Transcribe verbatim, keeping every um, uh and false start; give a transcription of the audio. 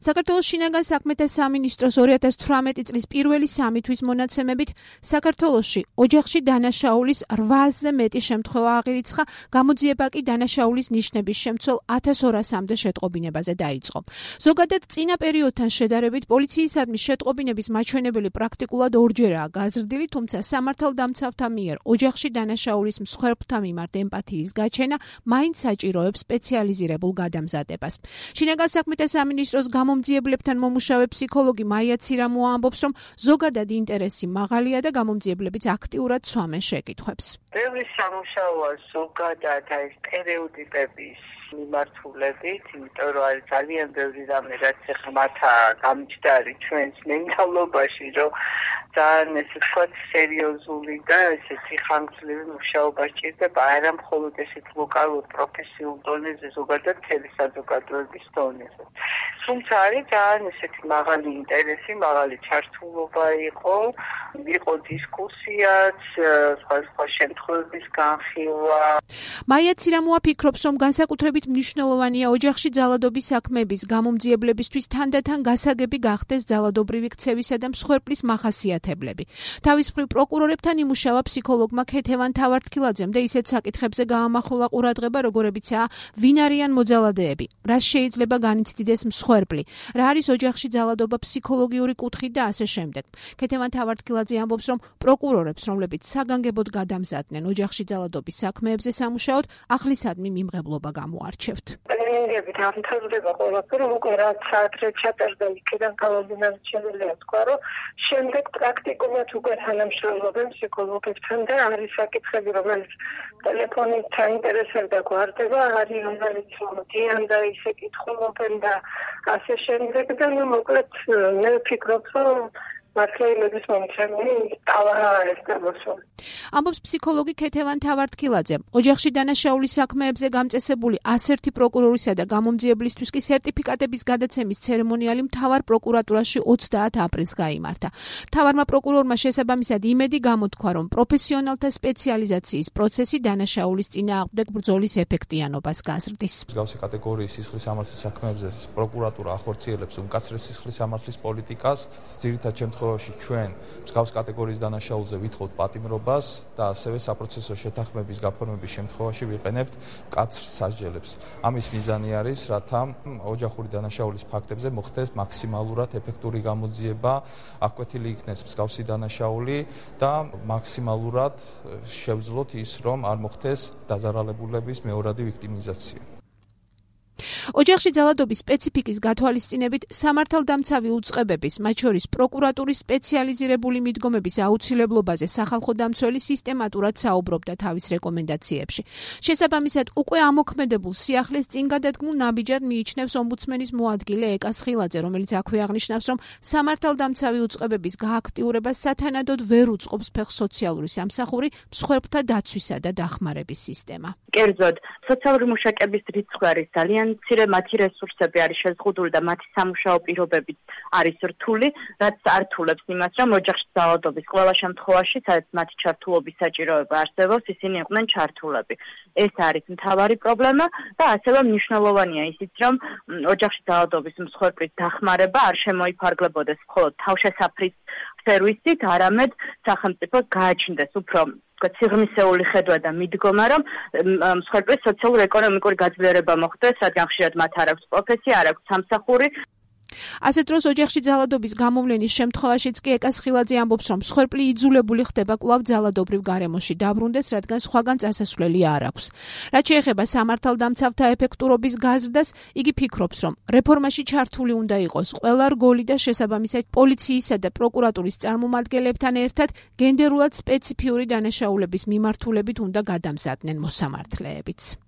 საქართველოს შინაგან საქმეთა სამინისტროს ორი ათას თვრამეტი წლის პირველი სამი თვის მონაცემებით საქართველოში ოჯახში დანაშაულის რვაასზე მეტი შემთხვევა აღირიცხა, გამოძიება კი დანაშაულის ნიშნების შემცველ ათას ორასამდე შეტყობინებაზე დაიწყო. ზოგადად წინა პერიოდთან შედარებით პოლიციისადმი შეტყობინების მაჩვენებელი პრაქტიკულად ორჯერაა გაზრდილი, თუმცა სამართალდამცავთა მიერ ოჯახში დანაშაულის მსხვერპლთა მიმართ ემპათიის გაჩენა მაინც საჭიროებს სპეციალიზირებულ გადამზადებას. შინაგან საქმეთა სამინისტროს გამომძიებლებთან მომუშავე ფსიქოლოგი მაია ცირამოა ამბობს, რომ ზოგადად ინტერესი მაღალია და გამომძიებლებიც აქტიურად სვამენ შეკითხვებს. ბევრი სამუშაოა ზოგადად ეს სტერეოტიპების მიმართულებით, იმიტომ რომ არის ძალიან ბევრი რამე, რაც ახლა მათ გამიჩნდა არის ჩვენს მენტალობაში, რომ ძალიან ესე ვთქვათ სერიოზული და ესეთი ხანგრძლივი მუშაობა სჭირდება, არა მხოლოდ ესეთ ლოკალურ პროფესიულ დონეზე, ზოგადად მთელი საზოგადოების დონეზე. თუმცა არის ძალიან ესეთი მაღალი ინტერესი, მაღალი ჩართულობა იყო, იყო დისკუსიაც, სხვა შემთხვევების განხილვა. მაია ცირამოა ფიქრობს, რომ განსაკუთრებით მნიშვნელოვანია ოჯახში ძალადობის საქმეების გამომძიებლებისთვის თანდათან გასაგები გახდეს ძალადობრივი ქცევისა და მსხვერპლის მახასიათებლები. თავის მხრივ პროკურორებთან იმუშავა ფსიქოლოგმა ქეთევან თავართქილაძემ და ისეთ საკითხებზე გაამახვილა ყურადღება, როგორებიცაა ვინ არიან მოძალადეები, რას შეიძლება განიცდიდეს მსხვერპლი, რა არის ოჯახში ძალადობა ფსიქოლოგიური კუთხით და ასე შემდეგ. ქეთევან თავართქილაძე ამბობს, რომ პროკურორებს, რომლებიც საგანგებოდ გადამზადდნენ ოჯახში ძალადობის საქმეებზე სამუშაოდ, ახლისადმი მიმღებლობა გამოარჩევთ. ტრენინგები დამთავრდება ყველაფერი, უკვე რაც ადრე ჩატარდა იქიდან გამომდინარეულია თქვა, რომ შემდეგ პრაქტიკულად უკვე თანამშრომლობენ ფსიქოლოგებთან და არის საკითხები, რომელიც ტელეფონით საინტერესებდა გვარდება, არის რომელიც მოდიან და ისე კითხულობენ და ასე შემდეგ და ნუ მოკლედ მე ვფიქრობ, რომ მართლმადიდებლობის მომცემი ტალღა არის გამოსული. ამბობს ფსიქოლოგი ქეთევან თავართქილაძე. ოჯახში დანაშაულის საქმეებზე გამწესებული ასერთი პროკურორისა და გამომძიებლისთვის კი სერტიფიკატების გადაცემის ცერემონიალი მთავარ პროკურატურაში ოცდაათ აპრილს გაიმართა. მთავარმა პროკურორმა შესაბამისად იმედი გამოთქვა, რომ პროფესიონალთა სპეციალიზაციის პროცესი დანაშაულის წინააღმდეგ ბრძოლის ეფექტიანობას გაზრდის. მსგავსი კატეგორიის სისხლის სამართლის საქმეებზე პროკურატურა ახორციელებს უმკაცრეს სისხლის სამართლის პოლიტიკას, ძირითად შემთხვევაში ჩვენ მსგავს კატეგორიის დანაშაულზე ვითხოვთ პატიმრობას და ასევე საპროცესო შეთანხმების გაფორმების შემთხვევაში ვიყენებთ მკაცრ სასჯელებს. ამის მიზანი არის, რათა ოჯახური დანაშაულის ფაქტებზე მოხდეს მაქსიმალურად ეფექტური გამოძიება, აღკვეთილი იქნეს მსგავსი დანაშაული და მაქსიმალურად შევძლოთ ის, რომ არ მოხდეს დაზარალებულების მეორადი ვიქტიმიზაცია. ოჯახში ძალადობის სპეციფიკის გათვალისწინებით სამართალდამცავი უწყებების, მათ შორის პროკურატურის სპეციალიზირებული მიდგომების აუცილებლობაზე სახალხო დამცველი სისტემატურად საუბრობდა თავის რეკომენდაციებში. შესაბამისად, უკვე ამოქმედებულ სიახლეს წინ გადადგმულ ნაბიჯად მიიჩნევს ომბუდსმენის მოადგილე ეკა სხილაძე, რომელიც აქვე აღნიშნავს, რომ სამართალდამცავი უწყებების გააქტიურებას სათანადოდ ვერ უწყობს ფეხს სოციალური სამსახური, მსხვერპლთა დაცვისა და დახმარების სისტემა. კერძოდ, სოციალური მუშაკების რიცხვი არის ძალიან მცირე, მათი რესურსები არის შეზღუდული და მათი სამუშაო პირობებიც არის რთული, რაც ართულებს იმას, რომ ოჯახში ძალადობის ყველა შემთხვევაში, სადაც მათი ჩართულობის საჭიროება არსებობს, ისინი იყვნენ ჩართულები. ეს არის მთავარი პრობლემა და ასევე მნიშვნელოვანია ისიც, რომ ოჯახში ძალადობის მსხვერპლის დახმარება არ შემოიფარგლებოდეს მხოლოდ თავშესაფრის სერვისით, არამედ სახელმწიფოს გააჩნდეს უფრო სიღრმისეული ხედვა და მიდგომა, რომ მსხვერპლის სოციალურ-ეკონომიკური გაძლიერება მოხდეს, რადგან ხშირად მათ არ აქვს პროფესია, არ აქვს სამსახური. ასეთ დროს ოჯახში ძალადობის გამოვლენის შემთხვევაშიც კი ეკა სხილაძე ამბობს, რომ მსხვერპლი იძულებული ხდება კვლავ ძალადობრივ გარემოში დაბრუნდეს, რადგან სხვაგან წასასვლელი არ აქვს. რაც შეეხება სამართალდამცავთა ეფექტურობის გაზრდას, იგი ფიქრობს, რომ რეფორმაში ჩართული უნდა იყოს ყველა რგოლი და შესაბამისად პოლიციისა და პროკურატურის წარმომადგენლებთან ერთად გენდერულად სპეციფიური დანაშაულების მიმართულებით უნდა გადამზადდნენ მოსამართლეებიც.